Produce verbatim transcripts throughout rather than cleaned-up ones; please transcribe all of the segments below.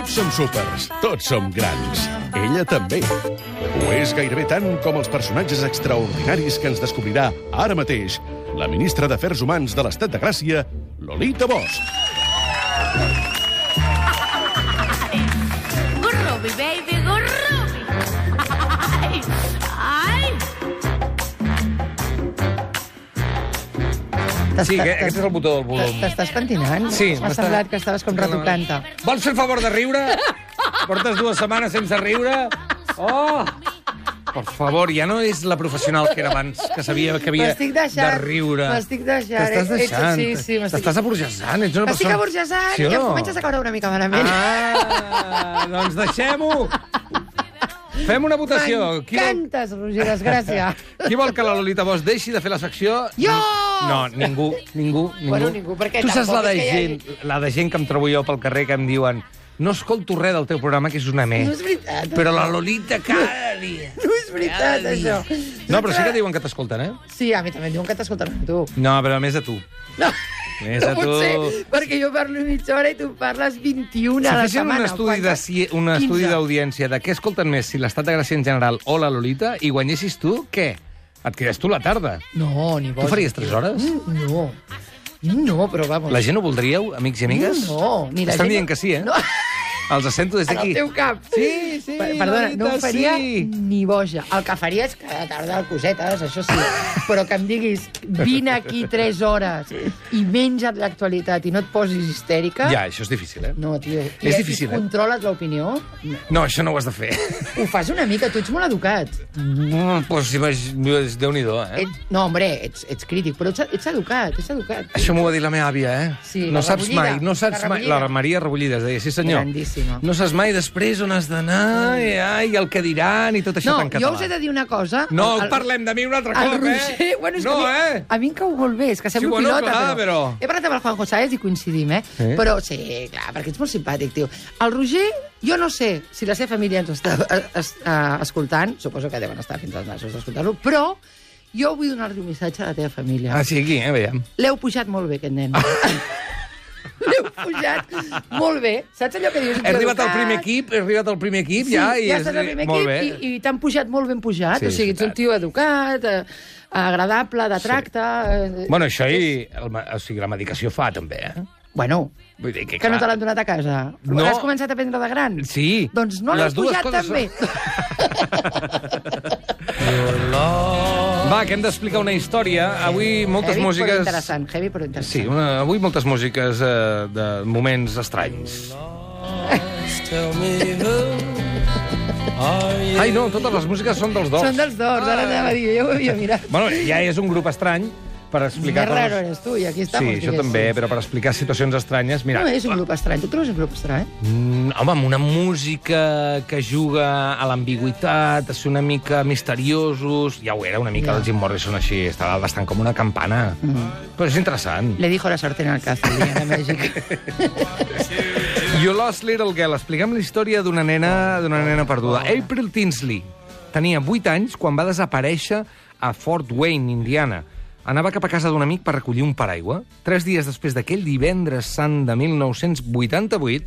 Tots som súpers, tots som grans. Ella també. Ho és gairebé tant com els personatges extraordinaris que ens descobrirà ara mateix la ministra d'Afers Humans de l'Estat de Gràcia, Lolita Bosch. Gurrubi, baby, gurrubi. Ai, ai. Sí, aquest és el botó del volum. T'estàs pentinant? Sí. M'ha semblat que estaves com retocant-te. Vols fer el favor de riure? Portes dues setmanes sense riure? Oh! Per favor, ja no és la professional que era abans, que sabia que havia de riure. M'estic deixant. T'estàs deixant. Sí, sí, m'estic... T'estàs aburgesant. Ets una M'estic persona... aburgesant Sí i em no? comences a caure una mica malament. Ah, doncs deixem-ho. Fem una votació. Qui vol... M'encantes, Roger, desgràcia. Qui vol que la Lolita Bosch deixi de fer la secció? Jo! No, ningú, ningú, ningú. Bueno, ningú, perquè tu saps la de, tampoc és que hi gent, hagi- la de gent que em trobo jo pel carrer que em diuen no escolto res del teu programa, que és una me. No és veritat. Però la Lolita cada dia. No és veritat, això. No, però sí que diuen que t'escolten, eh? Sí, a mi també em diuen que t'escolten a tu. No, però a més a tu. No, Més no a pot tu. ser, perquè jo parlo mitja hora i tu parles vint-i-una Si a la fessin un setmana. estudi de Quantes? si, un estudi quinze. d'audiència de què escolten més, si l'Estat de Gràcia en general o la Lolita, i guanyessis tu, què? Et quedes tu la tarda. No, ni boig. Tu faries tres hores? Mm, No. No, però vamos. La gent ho voldríeu, amics i amigues? No, ni la Estan gent... dient que sí, eh? No. Els sento des En d'aquí. el teu cap. Sí, sí, Per- Perdona, no Lolita, em faria sí. ni boja. El que faria és cada tarda cosetes, això sí. Però que em diguis, vine aquí tres hores i menja't l'actualitat i no et posis histèrica... Ja, això és difícil, eh? No, tio. És I, difícil, i eh? controles l'opinió? No. No, això no ho has de fer. Ho fas una mica, tu ets molt educat. Mm, pues, imag- Déu-n'hi-do, eh? Et, no, hombre, ets, ets crític, però ets, ets educat, ets educat. Això m'ho va dir la meva àvia, eh? Sí, no la saps Rebollida, mai, no saps la mai... Rebollida. La Maria Rebollida es deia, sí senyor. Grandíssima. No saps mai després on has d'anar, i, ai, el que diran i tot això No, tan català. jo us he de dir una cosa. No, El- el- parlem de mi un altre El cop, Roger, eh? bueno, és no, que a mi, eh? a mi em cau molt bé, és que semblo bueno, pilota, clar, però... però- He parlat amb el Juanjo Sáez i coincidim, eh? Sí? Però sí, clar, perquè ets molt simpàtic, tio. El Roger, jo no sé si la seva família ens està eh, es, uh, escoltant, suposo que deuen estar fins als nassos d'escoltar-lo, però jo vull donar-li un missatge a la teva família. Ah, sí, aquí, eh, veiem. L'heu pujat molt bé, aquest nen. L'heu pujat molt bé. Saps allò que dius? He arribat al primer equip, he arribat al primer equip, Sí, ja, i ja és... estàs al primer molt equip bé. i, i t'han pujat molt ben pujat. Sí, o sigui, és ets un veritat. tio educat, eh, agradable, de tracte... Eh, Bueno, això i... El, ma- o sigui, la medicació fa, també, eh? Bueno, Vull dir que, que no te clar, l'han donat a casa. No. Has començat a prendre de gran? Sí. Doncs no l'has Les dues pujat coses tan bé. Va, que hem d'explicar una història. Avui moltes heavy, músiques... però interessant. Heavy, però interessant. Sí, una, avui moltes músiques eh, de moments estranys. Ai, no, totes les músiques són dels dos. Són dels dos, ara anava a dir, jo ho havia mirat. Bueno, ja és un grup estrany per explicar Més raro eres tu, i aquí estamos. Sí, això diguéssim. també, però per explicar situacions estranyes... Mira, No, és un grup estrany. Tu trobes un grup estrany? Mm, home, amb una música que juga a l'ambigüitat, a ser una mica misteriosos... Ja ho era, una mica Ja. el Jim Morrison així, estava bastant com una campana. Mm. Però és interessant. Le dijo la sartén al cazo, el día de México. You Lost Little Girl. Expliquem la història d'una nena, d'una nena perduda. April Tinsley tenia vuit anys quan va desaparèixer a Fort Wayne, Indiana. Anava cap a casa d'un amic per recollir un paraigua. Tres dies després d'aquell divendres sant de mil nou-cents vuitanta-vuit,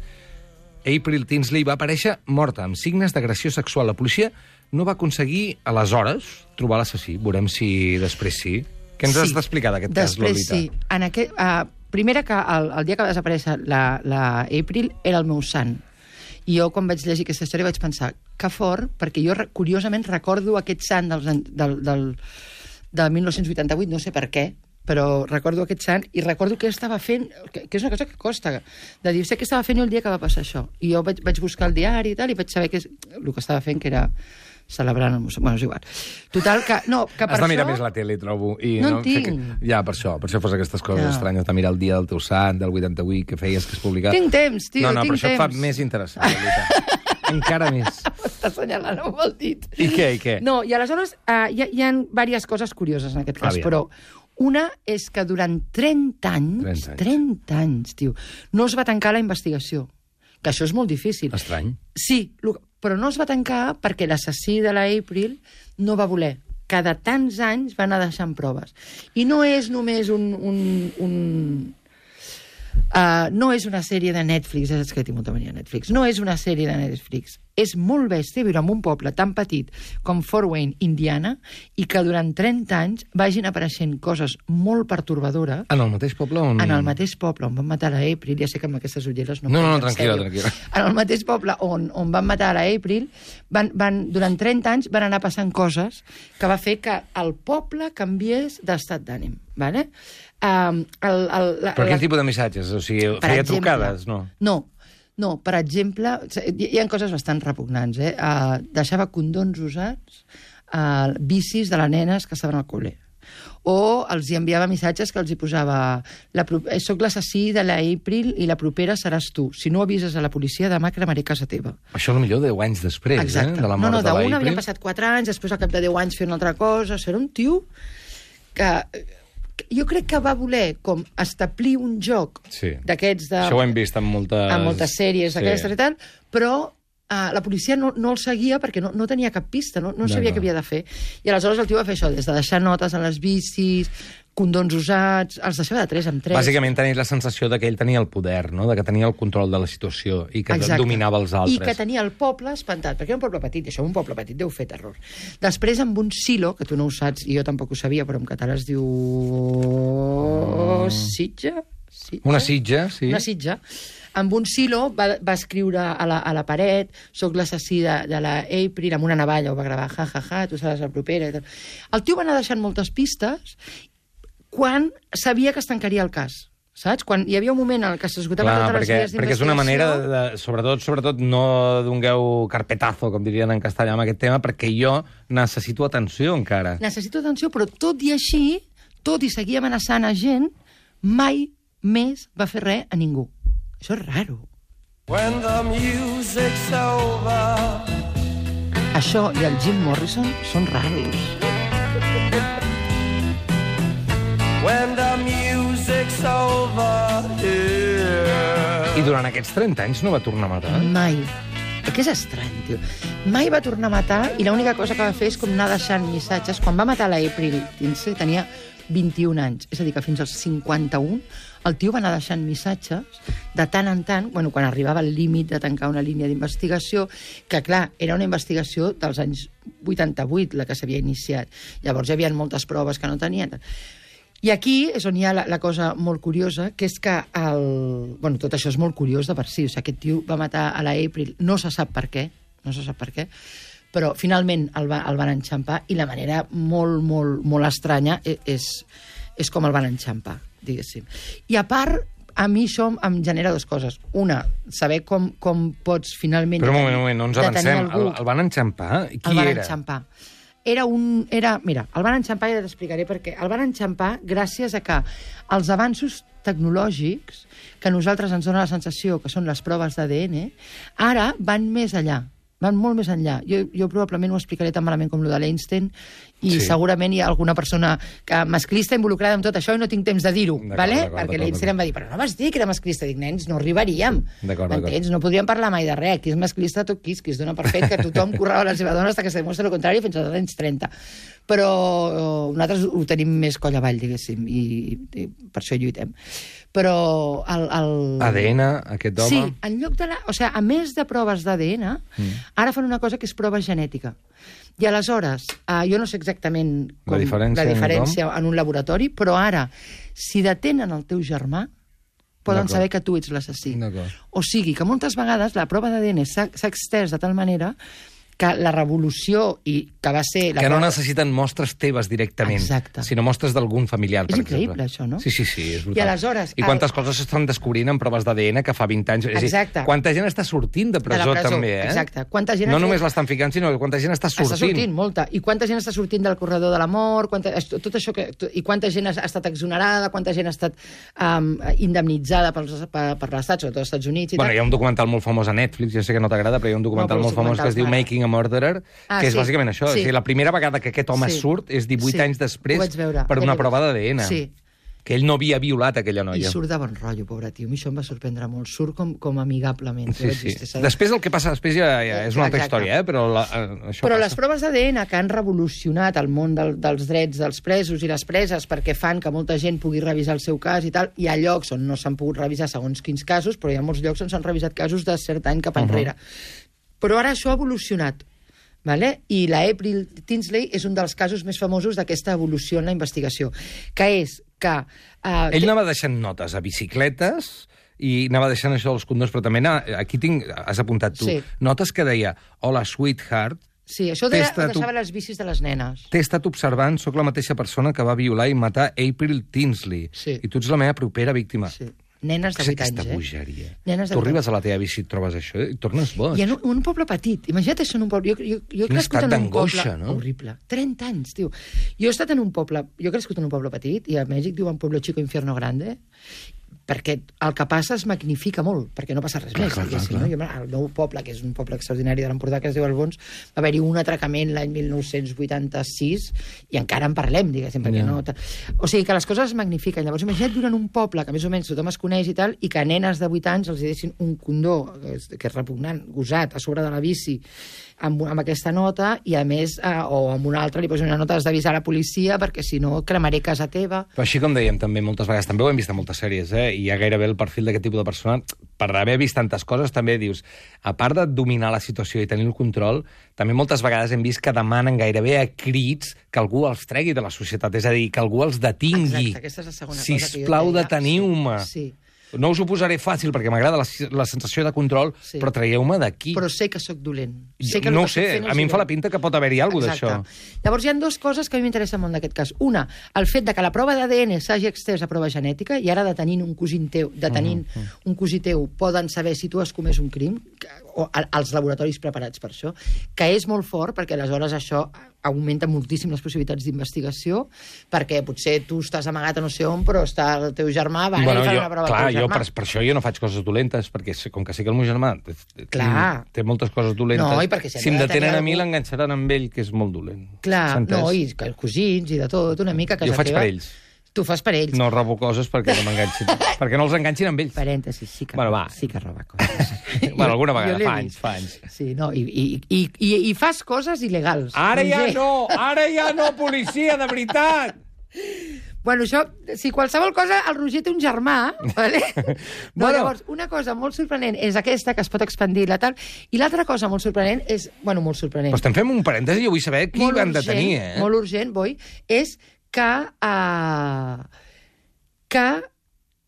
April Tinsley va aparèixer morta, amb signes d'agressió sexual. La policia no va aconseguir, aleshores, trobar l'assassí. Veurem si després sí. Què ens Sí. has d'explicar d'aquest cas, Després Lolita? sí. En aquest, uh, primera que el, el dia que va desaparèixer la, la April era el meu sant. I jo, quan vaig llegir aquesta història, vaig pensar que fort, perquè jo, re- curiosament, recordo aquest sant dels, an- del, del, del mil nou-cents vuitanta-vuit, no sé per què, però recordo aquest sant i recordo què estava fent, que, que és una cosa que costa, de dir, sé què estava fent jo el dia que va passar això. I jo vaig, vaig buscar el diari i tal, i vaig saber que és, el que estava fent, que era celebrant el museu. Bueno, és igual. Total, que, no, que per Has de mirar això... més la tele, trobo. I No en Sé tinc. que... Ja, per això, per això fos aquestes coses No. estranyes, de mirar el dia del teu sant, del vuitanta-vuit, que feies que es publicat. Tinc temps, tio, No, no, tinc però això et fa temps. més interessant, Lolita. Encara més. Està assenyalant amb el dit. I què, i què? No, i aleshores uh, hi, ha, hi ha diverses coses curioses en aquest cas, Aviam. però una és que durant trenta anys, trenta anys. trenta anys, tio, no es va tancar la investigació. Que això és molt difícil. Estrany. Sí, lo- però no es va tancar perquè l'assassí de la April no va voler. Cada tants anys va anar deixant proves. I no és només un... un, un Uh, no és una sèrie de Netflix, és que tinc molta mania de Netflix, no és una sèrie de Netflix. És molt bèstia viure en un poble tan petit com Fort Wayne, Indiana, i que durant trenta anys vagin apareixent coses molt pertorbadores. En el mateix poble on... En el mateix poble on van matar la April, ja sé que amb aquestes ulleres no... No, no, no, puc, tranquil·la, sèrio. tranquil·la. En el mateix poble on, on van matar la April, van, van, durant trenta anys van anar passant coses que va fer que el poble canviés d'estat d'ànim, ¿vale? Um, el, el, la, Però quin la... tipus de missatges? O sigui, feia exemple, trucades, no? No, no, per exemple, hi, hi ha coses bastant repugnants, eh? Uh, deixava condons usats, uh, bicis de les nenes que estaven al col·le. O els hi enviava missatges que els hi posava la, soc l'assassí de la April i la propera seràs tu. Si no avises a la policia, demà cremaré casa teva. Això potser deu anys després, exacte. eh? De la mort no, no, de la April. d'un havien passat quatre anys, després al cap de deu anys fer una altra cosa. Era un tio que... Jo crec que va voler com establir un joc sí. d'aquests de... Això ho hem vist en moltes... En moltes sèries d'aquestes sí. i tal, però uh, la policia no, no el seguia perquè no, no tenia cap pista, no, no sabia què havia de fer. I aleshores el tio va fer això, des de deixar notes a les bicis, condons usats, els deixava de tres en tres. Bàsicament tenia la sensació de que ell tenia el poder, no? De que tenia el control de la situació i que exacte. Dominava els altres. I que tenia el poble espantat, perquè era un poble petit, i això un poble petit deu fer terror. Després, amb un silo, que tu no ho saps, i jo tampoc ho sabia, però en català es diu... Oh. Sitja? Sitja? Una sitja, sí. Una sitja. Amb un silo va, va escriure a la, a la paret soc l'assassí de, de la April, amb una navalla ho va gravar, ja, ja, ja, tu seràs la propera. I tal. El tio va anar deixant moltes pistes quan sabia que es tancaria el cas, saps? Quan hi havia un moment en què s'esgotaven totes les vies d'investigació... Perquè és una manera, de, sobretot, sobretot no dongueu carpetazo, com dirien en castellà, amb aquest tema, perquè jo necessito atenció encara. Necessito atenció, però tot i així, tot i seguir amenaçant a gent, mai més va fer res a ningú. Això és raro. When the music's over. Això i el Jim Morrison són raros. When the music's over here. I durant aquests trenta anys no va tornar a matar? Mai. Que és estrany, tio. Mai va tornar a matar i l'única cosa que va fer és com anar deixant missatges. Quan va matar la April Tinsley tenia vint-i-un anys, és a dir, que fins als cinquanta-un el tio va anar deixant missatges de tant en tant, bueno, quan arribava al límit de tancar una línia d'investigació, que, clar, era una investigació dels anys vuitanta-vuit, la que s'havia iniciat. Llavors hi havia moltes proves que no tenien. I aquí és on hi ha la, la cosa molt curiosa, que és que el... Bueno, tot això és molt curiós de per si. O sigui, aquest tio va matar a la April, no se sap per què, no se sap per què, però finalment el, va, el van enxampar i la manera molt, molt, molt estranya és, és com el van enxampar, diguéssim. I a part, a mi això em genera dues coses. Una, saber com, com pots finalment... Però un moment, un moment, no ens avancem. El, el van enxampar? Qui era? El van enxampar. Era un... Era, mira, el van enxampar i ja t'explicaré per què. El van enxampar gràcies a que els avanços tecnològics, que a nosaltres ens dona la sensació que són les proves d'A D N, ara van més enllà. Van molt més enllà. Jo, jo probablement ho explicaré tan malament com el de l'Einstein i sí. Segurament hi ha alguna persona que masclista involucrada en tot això i no tinc temps de dir-ho, ¿vale? Perquè l'Einstein em va dir, però no vas dir que era masclista. Dic, nens, no arribaríem. M'entens? No podríem parlar mai de res. Qui és masclista, tot qui, qui es dona per fet que tothom corrava la seva dona fins que se demostra el contrari fins als anys trenta. Però nosaltres ho tenim més coll avall, diguéssim, i, i per això lluitem. Però el... el... A D N, aquest home... Sí, en lloc de la... O sigui, a més de proves d'A D N, mm. ara fan una cosa que és prova genètica. I aleshores, eh, jo no sé exactament com, la diferència, la diferència en un laboratori, però ara, si detenen el teu germà, poden saber que tu ets l'assassí. O sigui, que moltes vegades la prova d'A D N s'ha extès de tal manera que la revolució i que va ser... La que no prova... necessiten mostres teves directament, exacte. Sinó mostres d'algun familiar, per és exemple. És increïble, això, no? Sí, sí, sí, és brutal. I aleshores... I quantes el... coses s'estan descobrint en proves d'A D N que fa vint anys... És exacte. dir, quanta gent està sortint de presó, de presó també, eh? Exacte. Quanta gent no fet... només l'estan ficant, sinó que quanta gent està sortint. Està sortint, molta. I quanta gent està sortint del corredor de la mort, quanta... tot això que... I quanta gent ha estat exonerada, quanta gent ha estat um, indemnitzada pels, per, per l'Estat, sobretot als Estats Units i bueno, tal. Hi ha un documental molt famós a Netflix, ja sé que no t'agrada, però hi ha un documental no, molt famós que es diu Making a Murderer, ah, que és sí. bàsicament això. Sí. O sigui, la primera vegada que aquest home sí. surt és divuit sí. anys després per una prova d'A D N. Sí. que ell no havia violat aquella I noia. surt de bon rotllo, pobre tio. A mi això em va sorprendre molt. Surt com, com amigablement. Sí, sí. Després el que passa després ja, ja és una altra Exacte. història, eh? Però la, això Però passa. les proves d'A D N que han revolucionat el món del, dels drets dels presos i les preses perquè fan que molta gent pugui revisar el seu cas i tal, hi ha llocs on no s'han pogut revisar segons quins casos, però hi ha molts llocs on s'han revisat casos de cert any cap enrere. Uh-huh. Però ara això ha evolucionat. Vale? I la April Tinsley és un dels casos més famosos d'aquesta evolució en la investigació, que és que... Uh, Ell anava deixant notes a bicicletes i anava deixant això dels condons, però també anava, aquí tinc, has apuntat tu, Sí. notes que deia, hola, sweetheart, Sí, això de, T'he deixava les bicis de les nenes. t'he estat observant, sóc la mateixa persona que va violar i matar April Tinsley, Sí. i tu ets la meva propera víctima. Sí. Nenes de Què és vuit anys, aquesta eh? bogeria? Nenes de Tu vuit arribes a la teva bici i et trobes això i et tornes boig. I en un, un poble petit. Imagina't això en un poble... Jo, jo, jo he Quin crescut estat en un d'angoixa, poble... no? Horrible. trenta anys, tio. Jo he estat en un poble... Jo he crescut en un poble petit, i a Mèxic diuen Pueblo Chico, Infierno Grande, perquè el que passa es magnifica molt, perquè no passa res Clar, més. clar, diguéssim, clar, no? Jo, el meu poble, que és un poble extraordinari de l'Empordà, que es diu Albons, va haver-hi un atracament l'any mil nou-cents vuitanta-sis i encara en parlem, diguéssim, perquè Ja. no... O sigui, que les coses es magnifiquen. Llavors, imagina't viure en un poble que més o menys tothom es coneix i tal, i que a nenes de vuit anys els hi deixin un condó, que és, que és repugnant, gosat, a sobre de la bici, amb, amb aquesta nota, i a més, eh, o amb una altra li posen una nota, has d'avisar la policia, perquè si no cremaré casa teva. Però així com dèiem també moltes vegades, també ho hem vist en moltes sèries, eh? I hi ha gairebé el perfil d'aquest tipus de persona, per haver vist tantes coses, també dius, a part de dominar la situació i tenir el control, també moltes vegades hem vist que demanen gairebé a crits que algú els tregui de la societat, és a dir, que algú els detingui. Exacte, aquesta és la segona cosa que jo Sisplau, deia. deteniu-me. Sí. No us ho posaré fàcil, perquè m'agrada la, la sensació de control, Sí. però traieu-me d'aquí. Però sé que sóc dolent. Jo Sé que el no ho que estic sé, fent a és mi em fa la dolent. pinta que pot haver-hi alguna cosa Exacte. d'això. Llavors, hi ha dues coses que a mi m'interessen molt d'aquest cas. Una, el fet de que la prova d'A D N s'hagi extès a prova genètica, i ara detenint un cosí teu, detenint Mm, mm. un cosí teu, poden saber si tu has comès un crim, que, o a- als laboratoris preparats per això, que és molt fort, perquè aleshores això augmenta moltíssim les possibilitats d'investigació, perquè potser tu estàs amagat a no sé on, però està el teu germà, va, Bueno, i fa jo, una prova clar, al teu jo germà. per, per això jo no faig coses dolentes, perquè sé- com que sé que el meu germà té, Clar. té moltes coses dolentes, No, i perquè si si han em de detenen tenir a mi algú- l'enganxaran amb ell, que és molt dolent. Clar, S'ha entès? no, i que els cosins i de tot, una mica a casa Jo faig teva. per ells. Tu fas per ells. No robo coses perquè no m'enganxin, perquè no els enganxin amb ells. Parèntesis, sí que, Bueno, va. sí que roba coses. Bueno, alguna Jo vegada, l'he fa vist. anys, fa anys. Sí, no, i, i, i, i, i fas coses il·legals. Ara ja Roger. no, ara ja no, policia, de veritat! Bueno, això, si qualsevol cosa, el Roger té un germà, vale? No, Bueno. bueno. Llavors, una cosa molt sorprenent és aquesta, que es pot expandir la tal, i l'altra cosa molt sorprenent és, bueno, molt sorprenent, Però estem fent un parèntesi, jo vull saber qui molt van urgent, detenir, eh? molt urgent, Boi, és que, uh, que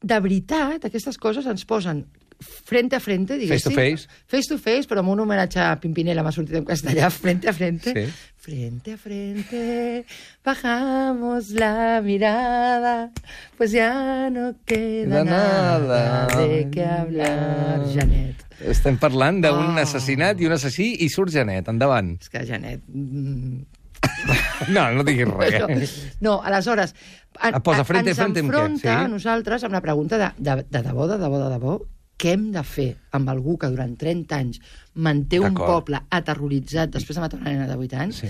de veritat aquestes coses ens posen frente a frente, diguéssim. Face to face. Face to face, però amb un homenatge a Pimpinela, m'ha sortit en castellà, frente a frente. Sí. Frente a frente, bajamos la mirada, pues ya no queda De nada. nada de qué hablar, Janet. Estem parlant d'un Oh. assassinat i un assassí i surt Janet, endavant. És que Janet... mm, No, no diguis res. No, no, aleshores, en, Ah, posa frente a ens frente amb què? enfronta Sí? a nosaltres amb la pregunta de, de, de debò, de debò, de debò, què hem de fer amb algú que durant trenta anys manté un D'acord. poble aterroritzat després de matar una nena de vuit anys, Sí.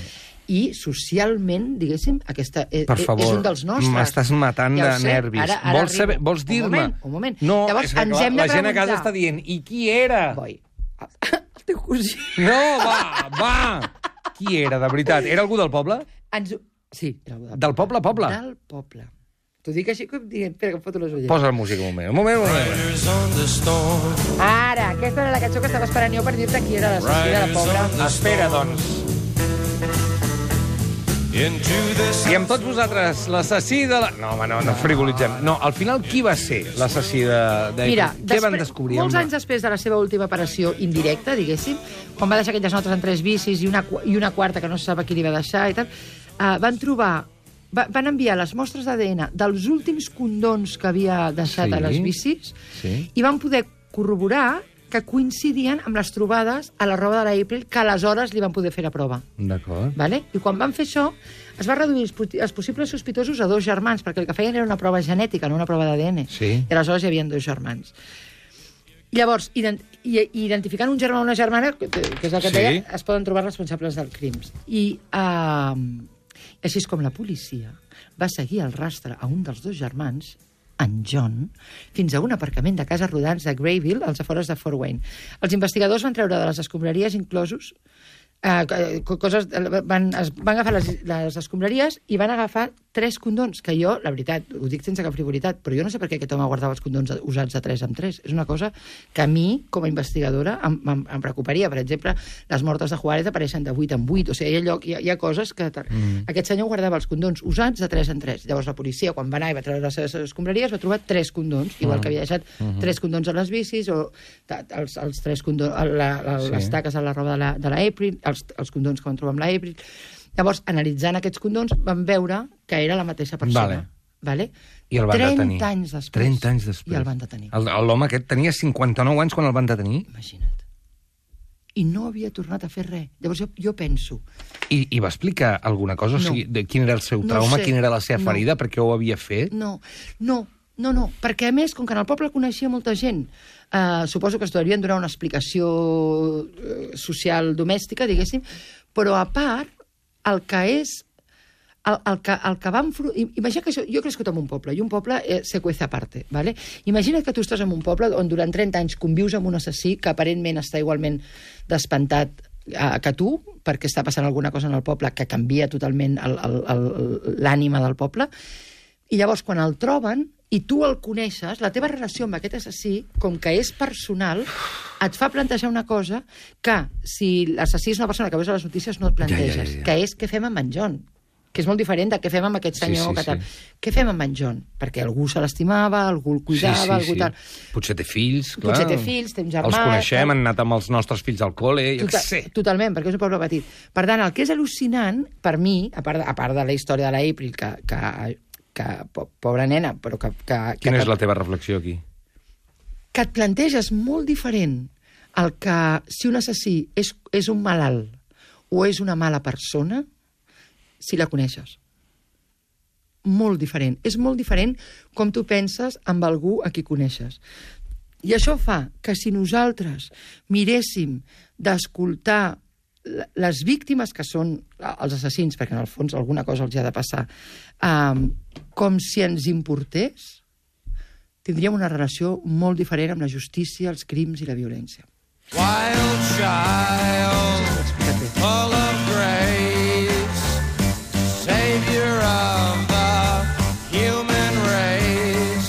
i socialment, diguéssim, aquesta és, Per és favor, un dels nostres. m'estàs matant Ja ho de sé, nervis. Ara, ara vols, saber, arribo. vols dir-me? Un moment, un moment. No, Llavors, és que, ens clar, hem de la gent a casa preguntar. està dient, i qui era? Boi, el teu cosí. No, va, va! Qui era, de veritat? Era algú del poble? Ens... Sí, era algú del, Del poble a poble? Del poble. T'ho dic així com dient... Espera, que em foto les ulleres. Posa la música un moment, un moment, un moment. Riders on the storm. Ara, aquesta era la cançó que estava esperant jo per dir-te qui era l'assassí de la pobra. Espera, doncs. Into this I amb tots vosaltres, l'assassí de la... No, home, no, no frivolitzem. No, al final, qui va ser l'assassí de... de... Mira, Què van després- descobrir? molts Home? anys després de la seva última operació indirecta, diguéssim, quan va deixar aquelles notes en tres bicis i una, qu- i una quarta que no se sap a qui li va deixar i tal, uh, van trobar... Va, van enviar les mostres d'A D N dels últims condons que havia deixat Sí, a les bicis sí. i van poder corroborar que coincidien amb les trobades a la roba de l'April que aleshores li van poder fer la prova. D'acord. Vale? I quan van fer això, es va reduir els, pu- els possibles sospitosos a dos germans, perquè el que feien era una prova genètica, no una prova d'A D N. Sí. I aleshores hi havia dos germans. Llavors, ident i, i identificant un germà o una germana, que, que és el que et Sí. deia, es poden trobar responsables dels crims. I uh, Així és com la policia va seguir el rastre a un dels dos germans, en John, fins a un aparcament de cases rodants de Grayville, als afores de Fort Wayne. Els investigadors van treure de les escombraries inclosos eh, coses, van, es, van agafar les, les escombraries i van agafar tres condons, que jo, la veritat, ho dic sense cap frivolitat, però jo no sé per què aquest home guardava els condons usats de tres en tres. És una cosa que a mi, com a investigadora, em, em, em preocuparia. Per exemple, les mortes de Juárez apareixen de vuit en vuit. O sigui, hi ha, lloc, hi ha, hi ha coses que... Mm. Aquest senyor guardava els condons usats de tres en tres. Llavors la policia, quan va anar i va treure les seves escombraries, va trobar tres condons, igual mm. que havia deixat mm -hmm. tres condons a les bicis, o els, els tres condons, la, la, sí. les taques a la roba de la, de la April, els, els condons que van trobar amb la April. Llavors, analitzant aquests condons, van veure que era la mateixa persona. Vale. Vale? I el van trenta detenir. anys després. trenta anys després. I el van detenir. L'home aquest tenia cinquanta-nou anys quan el van detenir? Imagina't. I no havia tornat a fer res. Llavors jo, jo penso... I, I va explicar alguna cosa? No. O sigui, de quin era el seu trauma, no sé. quina era la seva ferida, no. per què ho havia fet? No, no, no, no, perquè a més, com que en el poble coneixia molta gent, eh, suposo que es devien donar una explicació eh, social domèstica, diguéssim, però a part, el que és... El, el, que, el que vam... Imagina que això, jo he crescut en un poble, i un poble eh, se cuece aparte, ¿vale? Imagina que tu estàs en un poble on durant trenta anys convius amb un assassí que aparentment està igualment despentat eh, que tu, perquè està passant alguna cosa en el poble que canvia totalment l'ànima del poble, i llavors quan el troben i tu el coneixes, la teva relació amb aquest assassí, com que és personal, et fa plantejar una cosa que si l'assassí és una persona que veus a les notícies no et planteges, ja, ja, ja. que és què fem amb en John, que és molt diferent de què fem amb aquest senyor. Sí, sí, que tal. sí. Què fem amb en John? Perquè algú se l'estimava, algú el cuidava, sí, sí, algú sí. tal... Potser té fills, clar. Potser té fills, té un germà... Els coneixem, tal. han anat amb els nostres fills al col·le, jo Total, què sé. Totalment, perquè és un poble petit. Per tant, el que és al·lucinant, per mi, a part de, a part de la història de la April, que, que, que pobra nena, però que... que Quina que, és la teva reflexió aquí? Que et planteges molt diferent el que si un assassí és, és un malalt o és una mala persona, si la coneixes. Molt diferent. És molt diferent com tu penses amb algú a qui coneixes. I això fa que si nosaltres miréssim d'escoltar les víctimes que són els assassins, perquè en el fons alguna cosa els ha de passar, um, com si ens importés, tindríem una relació molt diferent amb la justícia, els crims i la violència. Wild child, full of grace, savior of the human race.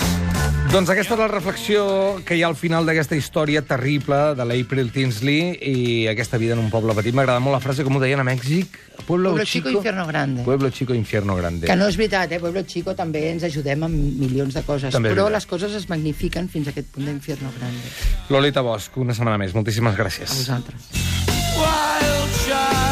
Doncs aquesta és la reflexió que hi ha al final d'aquesta història terrible de l'April Tinsley i aquesta vida en un poble petit. M'agrada molt la frase, com ho deien a Mèxic. Pueblo, Pueblo chico, infierno grande. Pueblo chico, infierno grande. Que no és veritat, eh? Pueblo chico també ens ajudem amb milions de coses, També però veritat. les coses es magnifiquen fins a aquest punt d'infierno grande. Lolita Bosch, una setmana més. Moltíssimes gràcies. A vosaltres. Wild child.